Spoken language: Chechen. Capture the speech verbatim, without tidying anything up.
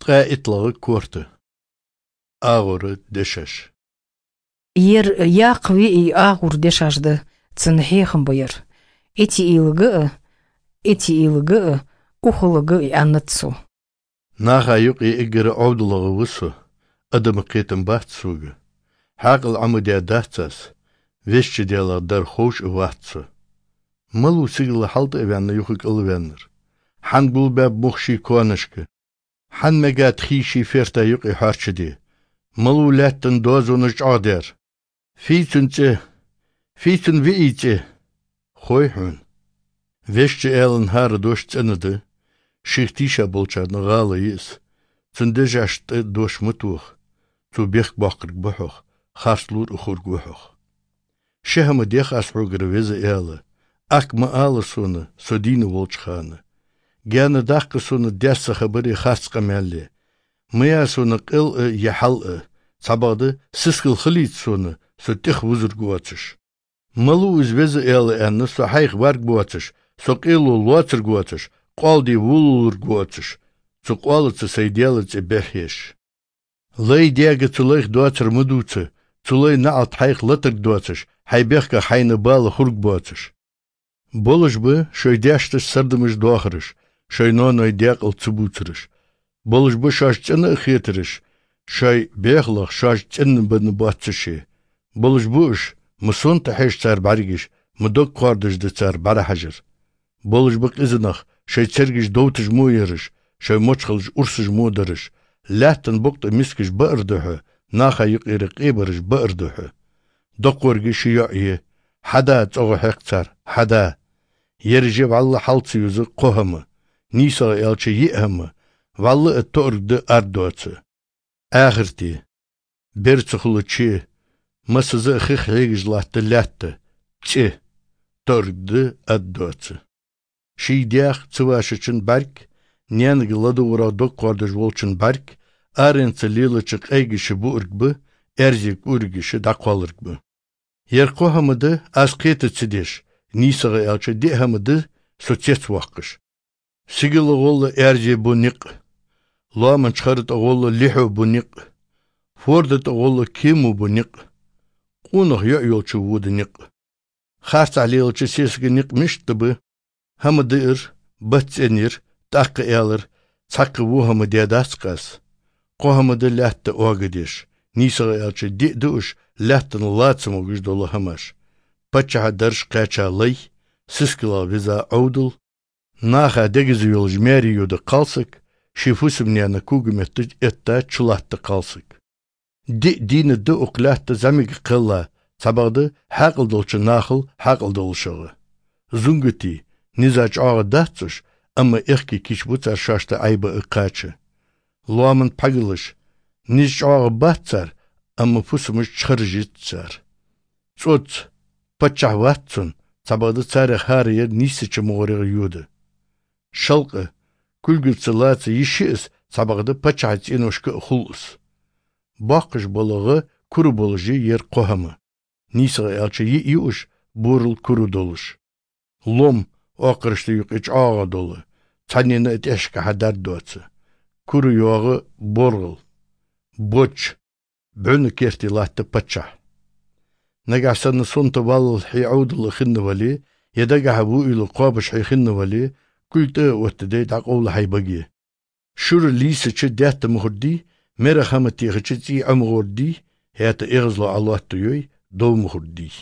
Къаитлага корта. Агъура дешаш. Ер якъ виъ агъур дешаш да, цун хьехам ба ер. Эти илга а, эти илга а, ухалга а аннат со. Наха юкъе эггара Ӏовдалгӏа ва со, адама кхетам бац сога. Хьакъал Ӏомаде дац аз, вешча Делах дар ховш а вац со. Малув сигала хьалтӏа а ваьнна юха кӏал ваьннар? Хьан гулбаьб мух ший конашка? Хьан мегад хий ший ферта юкъе хьоарчаде? Малув лаьттан дозонаш чӏоагӏдер? Фий цун цӏи? Фий цун виъий цӏи? Хой хьона. Вешча Аьлан хӏара дош цӏена да, шийх тийша болчарна гӏала я из. Цун дешаш тӏа дош ма тоха. Цо бехк боаккхарг ба хьох, харц лур а хург ва хьох. Ши хӏама дех аз хьогара, Веза Аьла, акӏ ма ала сона, со дийна волча хана. Гаьна даккха сона даьсса хабари харц къамаьли. Ма я сона къел а, е хьал а, цхьабакъда сискал хилийта сона, со тӏех вузарг воацаш. Малув из, Веза Аьла, аьнна, со хьайх варг воацаш, со къело лоацарг воацаш, къоалде вулалург воацаш, цу къоалаца сай Даьла цӏи бӏаргӏеш. Лай даьга цу лайх доацар ма дувца, цу лай наӏалт хьайх латарг доацаш, хьай бехках хьайна бала хург боацаш. Болаш ба шоай даьшташ сардамаш доахараш, шоай ноаной даькъала ца бувцараш. Болаш ба шоаш цӏена а хетараш, шоай бехалах шоаш цӏенабенна боацаше. Болаш ба уж, ма сонта хьеж цар бӏаргаш, ма дог кхоардаш да цар бӏарахьажар. Болаш ба къизанах, шоай цергаш довташ мо яраш, шоай мочхалаш урсаш мо дараш. Лаьттан букъ тӏа мискаш баар да хьо, наха юкъера къебараш баар да хьо. Доккхорга ши йоӏ я, хьада цӏогӏа хьекх цар, хьада. Ераш я вӏалла хьал ца юза кхо хӏама, нийсагӏа аьлча йиъ хӏама, вӏалла а тоъарг да, ард доаца. Ахарте, бер ца хулаче, массаза а хих хьегаш латта лаьтта, цӏи, тоъарг да, ард доаца. Ший даьх ца вашачун бӏарг, наьнага ладувгӏарах дог кхоардаш волчун бӏарг, аренца лелача къайгаш буарг ба, аьрзе кӏуаригаш дӏакхоаларг ба. Ер кхо хӏама да аз кхета ца деш, нийсагӏа аьлча диъ хӏама да со цецвоаккхаш. Сигала гӏолла аьрзе бу никъ, лоаман чхара тӏа гӏолла лихьо бу никъ, форда тӏа гӏолла кему бу никъ, къонах йоӏ йолча вода никъ. Харцахьа лелача сесага никъ мишта ба? Хӏама даар, бат цӏенъяр, тӏаккха аьлар, цхьаккха во хӏама даь дац-кх аз. Кхо хӏама да лаьтта оагадеш, нийсагӏа аьлча диъ да уж, лаьттан ла ца могаш дола хӏамаш. Паччахьа дарж кхаьча лай, сискалах виза Ӏовдал, наха дегаза йолаш маьре йода кхалсаг, ший фусам-наьна когаметта этта чулатта кхалсаг. Диъ дийна да укх лаьтта зӏамига кхелла, цхьабакъда хьаькъал долча нахал хьаькъал долашагӏа. Зунгати, низа чӏоагӏа дац уж, амма аьхки кийчбу цар шоашта Ӏайба а кхача. Лоаман пхьагалаш, низ чӏоагӏа бац цар, амма фусамаш чхараш йиц цар. Цӏоц, паччахь вац цун, цхьабакъда царех хӏара ер нийсача мугӏарегӏа йода. Шалкъа, кулгаца лаца йиш я из, цхьабакъда паччахьа цӏеношка а хул из. Боккхаш бола гӏа кура болаш я ер кхо хӏама. Нийсагӏа аьлча йиъ я уж, борал кура долаш. Лом, оакхарашта юкъе чӏоагӏа дола, цхьаннена а тӏехьашкахьа дард доаца. Кура йоагӏа боргӏал. Боч, бӏуна керте латта паччахь. Нагахь санна сонта валлал хье Ӏовдал хинна вале, е дагахьа вуйла кхобаш хье хинна вале, куль тӏа а оттаде дӏакъовла хьай баге. Шура лийсача даьтта мухӏар дий, мерах хӏама техача цӏий Ӏомагӏор дий, хӏаьта эгӏазло Ӏолоатта йой, дов мухӏар дий.